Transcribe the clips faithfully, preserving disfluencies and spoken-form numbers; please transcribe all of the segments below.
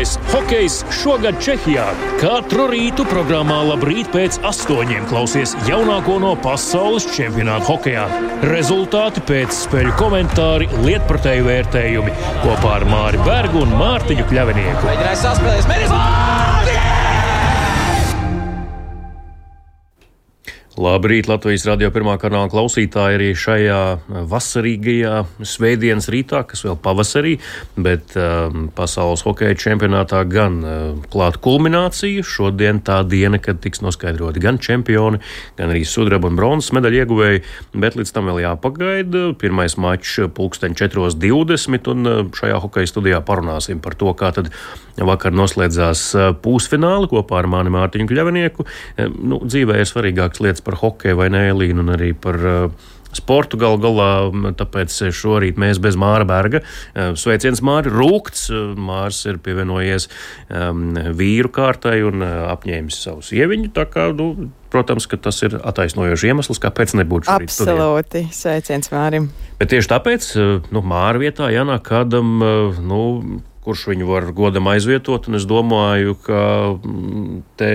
Spēcīgākais hokejs šogad Čehijā. Katru rītu programmā Labrīt pēc astoņiem klausies jaunāko no pasaules čempionāta hokejā. Rezultāti, pēc spēļu komentāri, lietpratēju vērtējumi kopā ar Māri Bergu un Mārtiņu Kļavinieku. Mēģinājis saspēlēs, mēģinājis! Labrīt, Latvijas radio pirmā kanāla klausītāji arī šajā vasarīgajā svētdienas rītā, kas vēl pavasarī, bet um, pasaules hokeja čempionātā gan uh, klāt kulminācija. Šodien tā diena, kad tiks noskaidroti gan čempioni, gan arī sudraba un bronzas medaļu ieguvēji, bet līdz tam vēl jāpagaida. Pirmais mačs pulksteņ četros divdesmit, un uh, šajā hokeja studijā parunāsim par to, kā tad vakar noslēdzās uh, pusfināli kopā ar mani Mārtiņu Kļavinieku. Uh, nu, dzīvē ir svarīgākas lietas par hokeju vai nē, Elīnu, un arī par uh, sportu gal galā, tāpēc šorīt mēs bez Māra Berga. Uh, sveiciens, Māri, rūkts. Uh, Mārs ir pievienojies um, vīru kārtai un uh, apņēmis savu sieviņu, tā kā, nu, protams, ka tas ir attaisnojošs iemesls, kāpēc nebūtu šorīt studijā. Absolūti, sveiciens Mārim. Bet tieši tāpēc, uh, nu, Māra vietā jānāk kādam, uh, nu, kurš viņu var godam aizvietot, un es domāju, ka te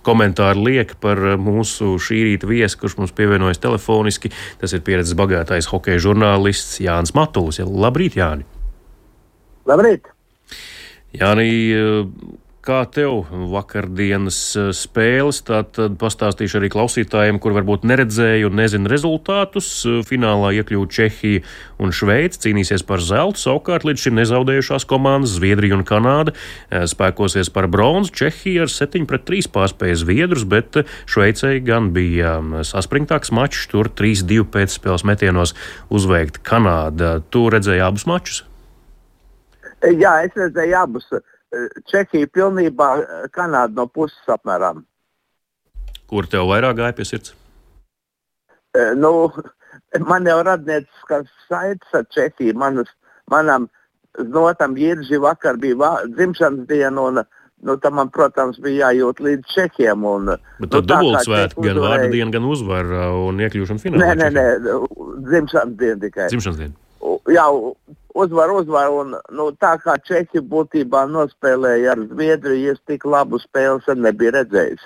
komentāri liek par mūsu šī rīta viesi, kurš mums pievienojas telefoniski. Tas ir pieredzes bagātais hokeja žurnālists Jānis Matulis. Labrīt, Jāni! Labrīt! Jāni, kā tev vakardienas spēles? Tātad pastāstīšu arī klausītājiem, kur varbūt neredzēju un nezinu rezultātus. Finālā iekļūt Čehija un Šveice, cīnīsies par zeltu, savukārt līdz šim nezaudējušās komandas Zviedrija un Kanāda spēkosies par bronzu. Čehija ar septiņi pret trīs pārspēja Zviedrus, bet Šveicei gan bija saspringtāks mačs, tur trīs divi pēcspēles metienos uzveikt Kanāda. Tu redzēji abus mačus? Jā, es redzēju abus. Čehija pilnībā, Kanāda no puses apmēram. Kur tev vairāk gāja pie sirds? E, nu, man jau radnieciskās saites ar Čehiju. Manas, manam znotam Jirži vakar bija vā, dzimšanas diena, un nu, tam man, protams, bija jājūt līdz Čehiem. Un, bet tad nu, dubultsvētki, gan vārda diena, gan uzvara un iekļūšana finālā. Nē, nē, nē, dzimšanas diena tikai. Dzimšanas diena. Jā, uzvar, uzvar, un nu, tā kā Čehi būtībā nospēlēja ar Zviedriju, es tik labu spēles nebiju redzējis.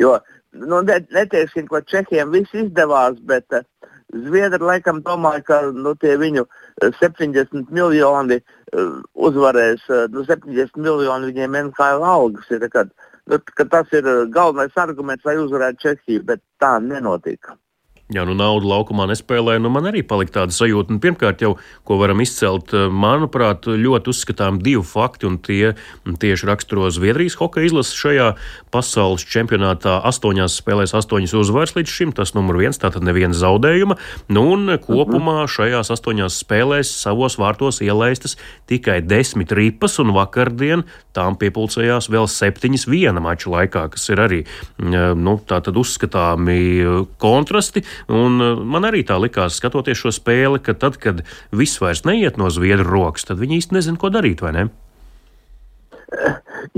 Jo, nu, neteiksim, ka Čehiem viss izdevās, bet uh, Zviedri laikam domāja, ka nu, tie viņu septiņdesmit miljoni uh, uzvarēs, uh, nu, septiņdesmit miljoni viņiem N H L algas ir, kad, nu, ka tas ir galvenais arguments, lai uzvarētu Čehiju, bet tā nenotika. Jā, nu naudu laukumā nespēlēja, nu man arī palika tāda sajūta. Un pirmkārt jau, ko varam izcelt, manuprāt, ļoti uzskatām divi fakti, un tie tieši raksturo Zviedrijas hokeja izlases šajā pasaules čempionātā. Astoņās spēlēs astoņas uzvaras līdz šim, tas numur viens, tātad neviena zaudējuma. Nu un kopumā šajās astoņās spēlēs savos vārtos ielaistas tikai desmit ripas, un vakardien tām piepulcējās vēl septiņas viena mača laikā, kas ir arī, nu, tātad uzskatāmi kontrasti. Un man arī tā likās, skatoties šo spēli, ka tad, kad viss vairs neiet no Zviedru rokas, tad viņi īsti nezin, ko darīt, vai ne?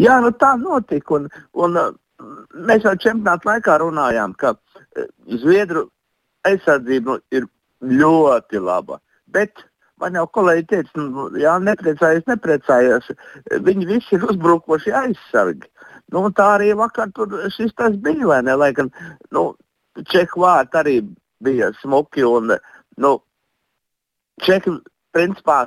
Jā, nu tā notika. Un, un mēs jau čempionāta laikā runājām, ka Zviedru aizsardzība ir ļoti laba. Bet man jau kolēģi teica, nu, jā, nepriecājies, nepriecājies. Viņi visi ir uzbrukoši aizsargi. Nu, tā arī vakar tur šis tas bija, vai ne? Lai gan, nu, Čehu vārti arī bija smuki, un nu, Čehi, principā,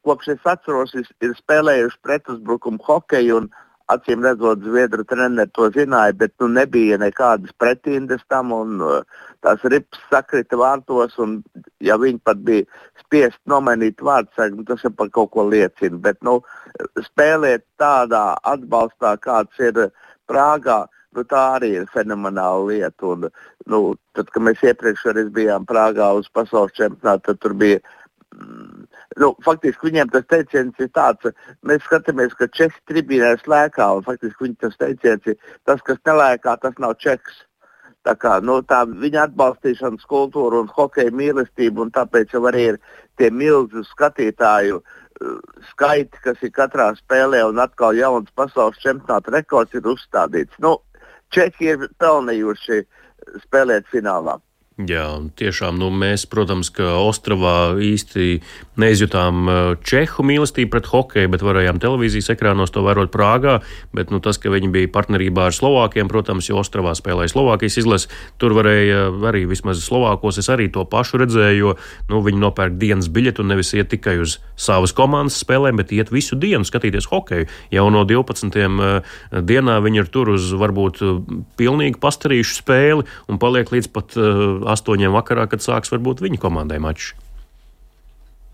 kopš es atceros, ir spēlējuši pretuzbrukumu hokeju, un acīm redzot, Zviedru treneri to zināja, bet nu, nebija nekādas pretindes tam, un uh, tās rips sakrita vārtos, un ja viņi pat bija spiest nomainīt vārdsargu, tas jau par kaut ko liecina, bet nu, spēlēt tādā atbalstā, kāds ir Prāgā, nu, tā arī ir fenomenāla lieta. Un, nu, tad, kad mēs iepriekš arī bijām Prāgā uz pasaules čempionātu, tad tur bija, mm, nu, faktiski viņiem tas teiciens ir tāds, mēs skatāmies, ka Čehi tribīnēs lēkā, un faktiski viņi tas teiciens ir, tas, kas nelēkā, tas nav Čehs. Tā kā, nu, tā viņa atbalstīšanas kultūra un hokeja mīlestība, un tāpēc jau arī ir tie milzu skatītāju uh, skaiti, kas ir katrā spēlē, un atkal jauns pasaules čempionāta rekords ir uzstādīts. Nu, Čehi ir pelnījuši spēlēt finālā. Jā, tiešām, nu, mēs, protams, ka Ostravā īsti neizjutām čehu mīlestību pret hokeju, bet varējām televīzijas ekrānos to vērot Prāgā, bet, nu, tas, ka viņi bija partnerībā ar Slovākiem, protams, jo Ostravā spēlēja Slovākijas izlase, tur varēja arī vismaz Slovākos, es arī to pašu redzēju, jo, nu, viņi nopērk dienas biļetu un nevis iet tikai uz savas komandas spēlēm, bet iet visu dienu skatīties hokeju. Jau no divpadsmitiem dienā viņi ir tur uz varbūt pilnīgi pastarīšu spēli un paliek līdz pat astoņiem vakarā, kad sāks varbūt viņa komandai mačs.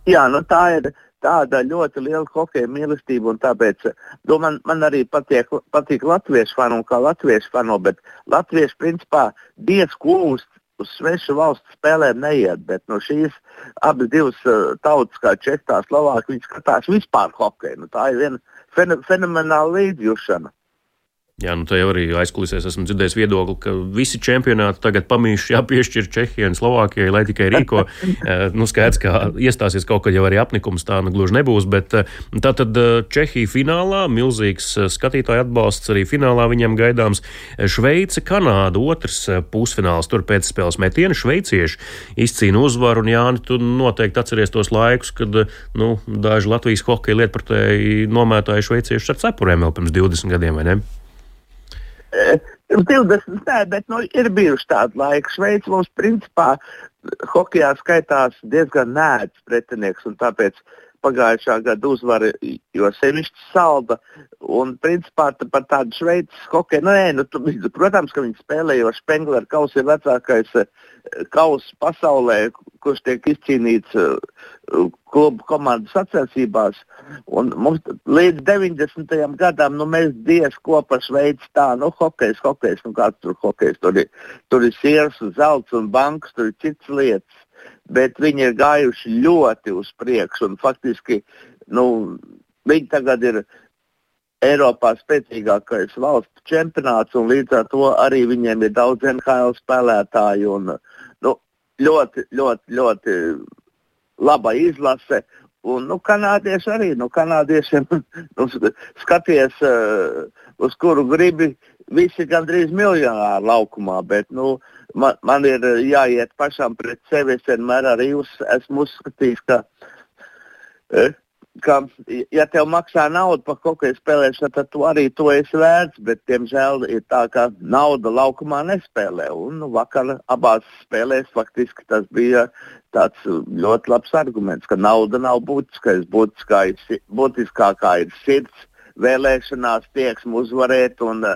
Jā, nu tā ir tāda ļoti liela hokeja mīlestība, un tāpēc nu, man, man arī patīk, patīk latviešu fanu un kā latviešu fanu, bet latvieši principā diez kūst uz svešu valstu spēlēm neiet, bet no šīs abas divas tautas, kā Čehā, Slovākija, viņi skatās vispār hokeju. Nu, tā ir viena fen- fenomenāla līdzjūšana. Jā, nu tā jau arī aizkulisēs esmu dzirdējis viedokli, ka visi čempionāti tagad pamīši jāpiešķir Čehijai un Slovākijai, lai tikai rīko. Nu, skaidrs, ka iestāsies kaut kad jau arī apnikums, tā nu gluži nebūs, bet tātad Čehija finālā, milzīgs skatītāju atbalsts arī finālā viņam gaidāms. Šveice, Kanāda, otrs pusfināls, tur pēc spēles metiena šveicieši izcīna uzvaru, un Jāni, tu noteikti atceries tos laikus, kad, nu, daži Latvijas hokeja lietpratēji nomētāja šveiciešus ar cepurēm vēl pirms divdesmit gadiem, vai ne? divdesmit, nē, bet nu, ir bijuši tādi laiki. Šveice mums principā hokejā skaitās diezgan nēdz pretinieks, un tāpēc pagājušā gada uzvara, jo sevišķi salda, un principā tā, par tādu Šveices hokeju, nu, nē, nu, tu, protams, ka viņi spēlē, jo Spengler kauss ir vecākais kauss pasaulē, kurš tiek izcīnīts klubu komandu sacensībās, un mums līdz deviņdesmitajam gadam, nu, mēs diez ko par Šveici tā, nu, hokejs, hokejs, nu, kāds tur hokejs, tur ir, tur ir siers, zelts un bankas, tur ir citas lietas, bet viņi ir gājuši ļoti uz priekšu, un faktiski, nu, viņi tagad ir Eiropā spēcīgākais valsts čempionāts, un līdz ar to arī viņiem ir daudz N H L spēlētāju, un, nu, ļoti, ļoti, ļoti laba izlase, un, nu, kanādieši arī, nu, kanādiešiem, nu, skaties, uh, uz kuru gribi, visi gandrīz miljonāri laukumā, bet, nu, man, man ir jāiet pašam pret sevi, es vienmēr arī uz, esmu uzskatījis, ka, uh, ka, ja tev maksā naudu par hokeja spēlēšanu, tad tu arī to esi vērts, bet, diemžēl, ir tā, ka nauda laukumā nespēlē, un, nu, vakar abās spēlēs faktiski tas bija tāds ļoti labs arguments, ka nauda nav būtiskais, būtiskākā ir sirds, vēlēšanās, tieksme uzvarēt, un,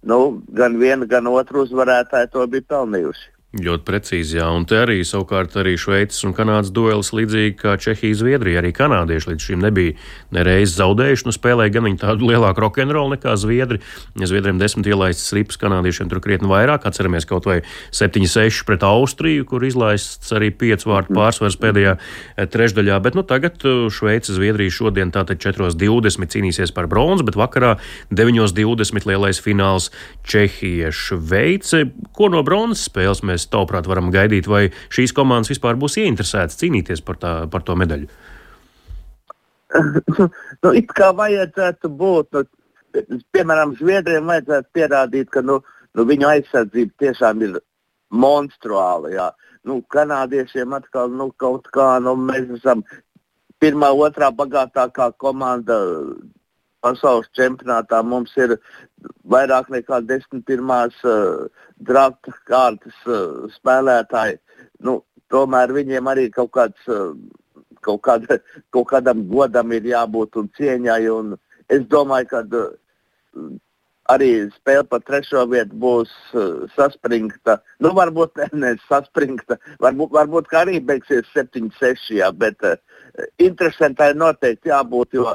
nu, gan viena, gan otru uzvarētāji to bija pelnījuši. Ļoti precīzi, jā, un te arī savukārt arī Šveices un Kanādas duelis līdzīgi kā Čehija, Zviedrija, arī kanādieši līdz šim nebija nereiz zaudējuši, nu spēlēja gan viņi tādu lielāku rokenrolu nekā Zviedri, ja Zviedriem desmit ielaistas ripas, kanādiešiem tur krietni vairāk, atceramies kaut vai septiņi seši pret Austriju, kur izlaists arī piecu vārtu pārsvars pēdējā trešdaļā, bet nu tagad Šveice, Zviedrija šodien tātad četros divdesmit cīnīsies par bronzu, bet vakarā deviņos divdesmit lielais fināls Čehija, Šveice, ko no bronzas spēles mēs tavuprāt varam gaidīt, vai šīs komandas vispār būs ieinteresētas cīnīties par, tā, par to medaļu? Nu, it kā vajadzētu būt, nu, piemēram, Zviedriem vajadzētu pierādīt, ka nu, nu, viņu aizsardzība tiešām ir monstruāla. Jā. Nu, kanādiešiem atkal nu, kaut kā, nu, mēs esam pirmā, otrā bagātākā komanda pasaules čempionātā, mums ir vairāk nekā desmit pirmās uh, drafta kārtas uh, spēlētāji. Nu, tomēr viņiem arī kaut, kāds, uh, kaut, kāda, kaut kādam godam ir jābūt un cieņai. Un es domāju, ka uh, arī spēle par trešo vietu būs uh, saspringta. Nu, varbūt ne, ne saspringta, varbūt, varbūt kā arī beigsies septiņi seši, jā, bet uh, interesantai noteikti jābūt, jo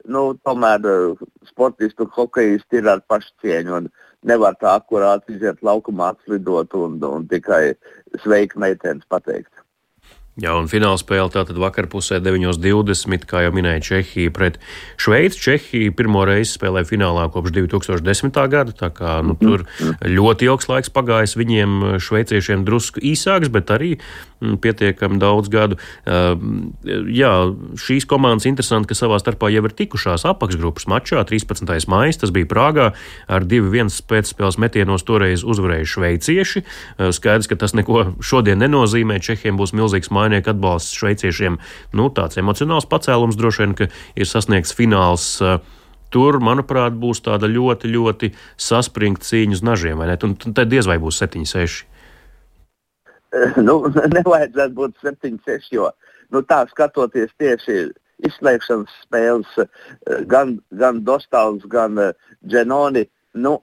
nu, tomēr uh, sportisti un hokejisti ir ar pašu cieņu un nevar tā akurāti iziet laukumā, atslidot un, un tikai sveiki meitenes pateikt. Jā, un finālspēle tātad vakarpusē deviņos divdesmit, kā jau minēja, Čehija pret Šveici. Čehija pirmo reizi spēlē finālā kopš divi tūkstoši desmitā gada, tā kā nu, tur ļoti ilgs laiks pagājis. Viņiem šveiciešiem drusku īsāks, bet arī pietiekami daudz gadu. Jā, šīs komandas interesanti, ka savā starpā jau ir tikušās apakšgrupas mačā. trīspadsmitais maijs, tas bija Prāgā, ar divi viens pēcspēles metienos toreiz uzvarēja šveicieši. Skaidrs, ka tas neko šodien nenozīmē. Čehiem būs milzīgs mājas atbalsts šveiciešiem, nu, tāds emocionāls pacēlums droši vien, ka ir sasniegts fināls. Tur, manuprāt, būs tāda ļoti, ļoti saspringta cīņa uz nažiem, vai ne? Un tad diez vai būs septiņi seši. Nu, nevajadzētu būt septiņi seši, jo, nu, tā skatoties tieši izslēgšanas spēles, gan, gan Dostals, gan Dženoni, nu,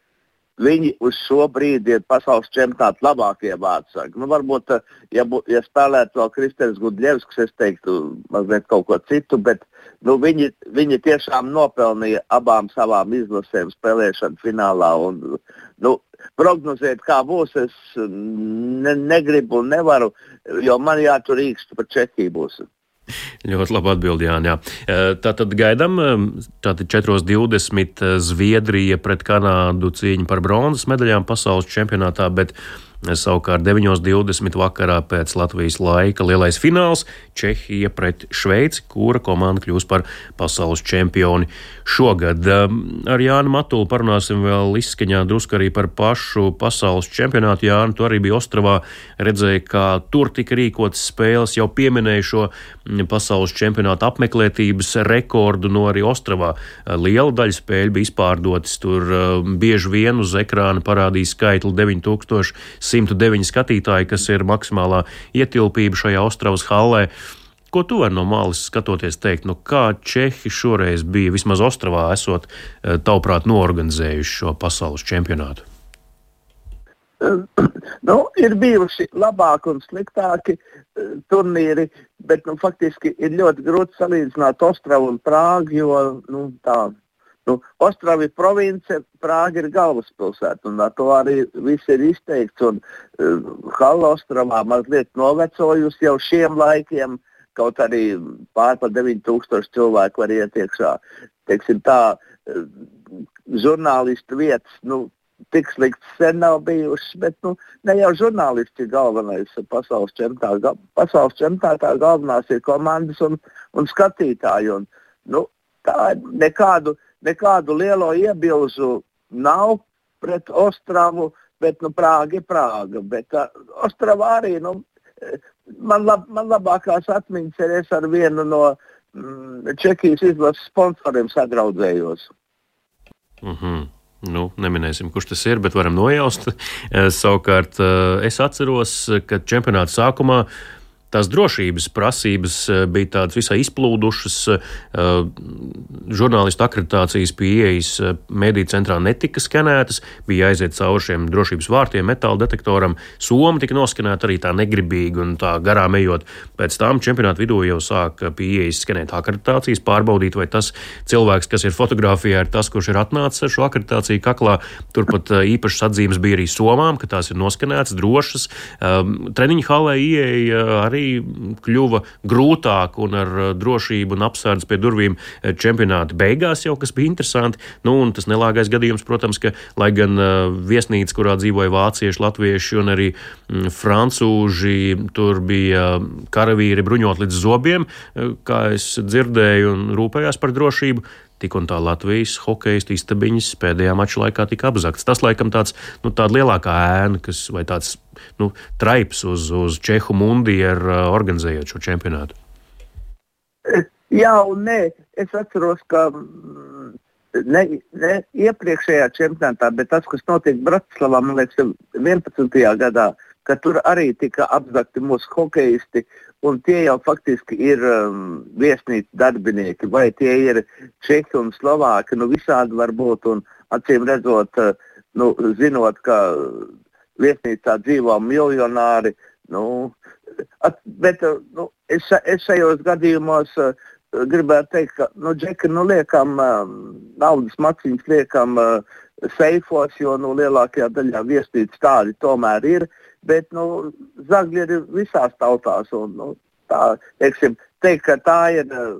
viņi uz šo brīdi ir pasaules čempionāta labākie vārdsargi. Nu, varbūt, ja, bu, ja spēlētu vēl Kristers Gudļevskis, es teiktu mazliet kaut ko citu, bet nu, viņi, viņi tiešām nopelnīja abām savām izlasēm spēlēšanu finālā. Un, nu, prognozēt, kā būs, es ne, negribu un nevaru, jo man jātur īkstu par Čehiju būs. Ļoti labi atbildi, Jāni. Jā. Tātad gaidām, tātad četros divdesmit Zviedrija pret Kanādu cīņa par bronzas medaļām pasaules čempionātā, bet savukārt deviņos divdesmit vakarā pēc Latvijas laika lielais fināls Čehija pret Šveici, kura komanda kļūs par pasaules čempioni šogad. Ar Jānu Matulu parunāsim vēl izskaņā drusku arī par pašu pasaules čempionātu. Jāni, tu arī bija Ostravā, redzēja, kā tur tika rīkotas spēles, jau pieminēja šo pasaules čempionāta apmeklētības rekordu, no arī Ostravā liela daļa spēļu bija izpārdotas. Tur bieži vien uz ekrāna parādīja skaitli deviņi tūkstoši simts deviņi skatītāji, kas ir maksimālā ietilpība šajā Ostravas hallē. Ko tu vari no malas skatoties teikt, nu kā Čehi šoreiz bija, vismaz Ostravā esot, tavuprāt, noorganizējuši šo pasaules čempionātu? Nu, ir bijuši labāki un sliktāki turnīri, bet nu, faktiski ir ļoti grūti salīdzināt Ostravu un Prāgu, jo nu, tā. Nu, Ostrava ir province, Prāga ir galvaspilsēta, un ar to arī viss ir izteikts. Un uh, Halla Ostravā mazliet novecojusi jau šiem laikiem, kaut arī pār par deviņi tūkstoši cilvēku var iet iekšā. Teiksim tā, uh, žurnālistu vietas, nu, tik slikts sen nav bijušas, bet nu, ne jau žurnālisti ir galvenais pasaules čempionātā. Pasaules čempionātā galvenās ir komandas un, un skatītāji. Un, nu, tā nekādu Nekādu lielo iebilžu nav pret Ostravu, bet nu, Prāga ir Prāga. Bet uh, Ostravā arī, nu, man, lab, man labākās atmiņas ir es ar vienu no mm, Čehijas izlases sponsoriem sadraudzējos. Mhm. Nu, neminēsim, kurš tas ir, bet varam nojaust. Savukārt es atceros, ka čempionāta sākumā tās drošības prasības bija tādas visai izplūdušas. Žurnālistu akreditācijas pie ieejas mediju centrā netika skenētas, bija jāiziet cauri šiem drošības vārtiem, metāla detektoram. Soma tika noskenēta arī tā negribīgi un tā garām ejot. Pēc tam čempionāta vidū jau sāk pie ieejas skenēt akreditācijas, pārbaudīt, vai tas cilvēks, kas ir fotografijā, ir tas, kurš ir atnācis ar šo akreditāciju kaklā. Turpat īpašas atzīmes bija arī somām, ka tās ir noskenētas, drošas. Treniņu hallē ieeja arī kļuva grūtāk un ar drošību un apsardzi pie durvīm čempionāta beigās jau, kas bija interesanti. Nu, un tas nelāgais gadījums, protams, ka, lai gan viesnīca, kurā dzīvoja vācieši, latvieši un arī francūži, tur bija karavīri bruņot līdz zobiem, kā es dzirdēju, un rūpējās par drošību. Tik un tā Latvijas hokejistu istabiņas pēdējā mača laikā tika apzakts. Tas laikam tāds, nu, tāda lielākā ēna, kas, vai tāds, nu, traips uz, uz Čehu mundi ir organizējot šo čempionātu. Jā un nē. Es atceros, ka ne, ne iepriekšējā čempionātā, bet tas, kas notiek Bratislavā, man liekas, vienpadsmitajā gadā, ka tur arī tika apzakti mūsu hokejisti, un tie jau faktiski ir um, viesnīcu darbinieki, vai tie ir Čehi un Slovāki, nu visādi var būt, un acīm redzot, uh, nu, zinot, ka viesnīcā dzīvo miljonāri, nu, at, bet uh, nu, es, es šajos gadījumos uh, gribētu teikt, ka, nu, Džeki, nu, liekam, um, naudas maciņas liekam uh, seifos, jo, nu, lielākajā daļā viesnīcas tādi tomēr ir, bet, nu, zagļi ir visās tautās, un, nu, tā, teiksim, teikt, ka tā ir uh,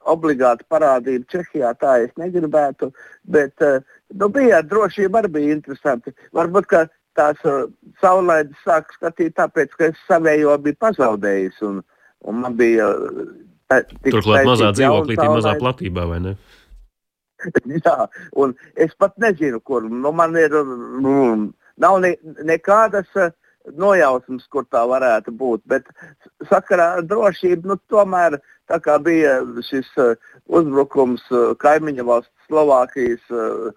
obligāta parādība Čehijā, tā es negribētu, bet uh, nu, bija drošība arī bija interesanti. Varbūt, ka tās uh, saulaides sāk skatīt tāpēc, ka es savējo biju pazaudējis un, un man bija uh, turklāt mazā dzīvoklītī, mazā platībā, vai ne? Jā, un es pat nezinu, kur. Nu, man ir, nu, nav ne, nekādas uh, nojausmas, kur tā varētu būt, bet sakarā ar drošību, nu, tomēr tā kā bija šis uh, uzbrukums uh, kaimiņa valsts Slovākijas uh,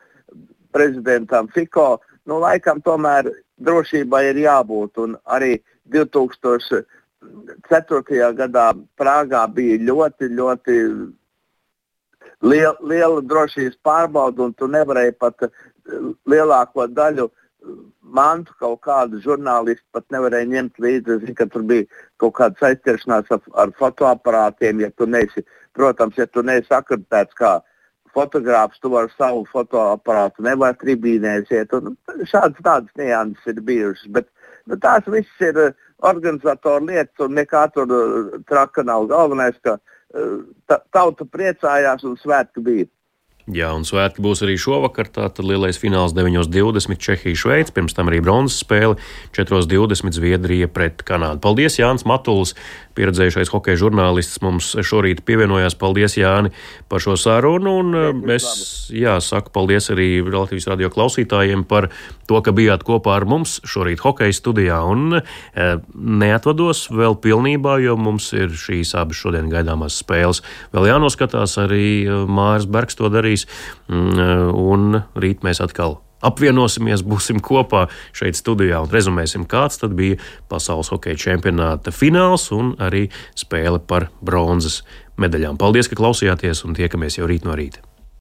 prezidentam Fico, nu, laikam tomēr drošībai ir jābūt, un arī divi tūkstoši ceturtajā gadā Prāgā bija ļoti, ļoti liela, liela drošības pārbauda, un tu nevarēji pat lielāko daļu mantu kaut kādu žurnālistu pat nevarēja ņemt līdzi. Es zinu, ka tur bija kaut kāda saistīšanās ar, ar fotoaparātiem, ja tu neesi, protams, ja tu neesi akreditēts kā fotogrāfs, tu vari savu fotoaparātu, nevar tribīnēs iet, un šādas tādas nianses ir bijušas, bet nu, tās viss ir organizatoru lietas, un nekā tur traka nav. Galvenais, ka ta, tauta priecājās un svētki bija. Jā, un svētki būs arī šovakar, tātad lielais fināls deviņos divdesmit Čehija Šveice, pirms tam arī bronzas spēle četros divdesmit Zviedrija pret Kanādu. Paldies, Jānis Matulis, pieredzējušais hokeja žurnālists, mums šorīt pievienojās. Paldies, Jāni, par šo sarunu, un es, jā, saku paldies arī Latvijas radio klausītājiem par to, ka bijāt kopā ar mums šorīt hokeja studijā, un e, neatvados vēl pilnībā, jo mums ir šīs abas šodien gaidāmās spēles. Vēl jānoskatās, arī Māris Bergs to darīs, un rīt mēs atkal apvienosimies, būsim kopā šeit studijā un rezumēsim, kāds tad bija pasaules hokeja čempionāta fināls un arī spēle par bronzas medaļām. Paldies, ka klausījāties, un tiekamies jau rīt no rīta.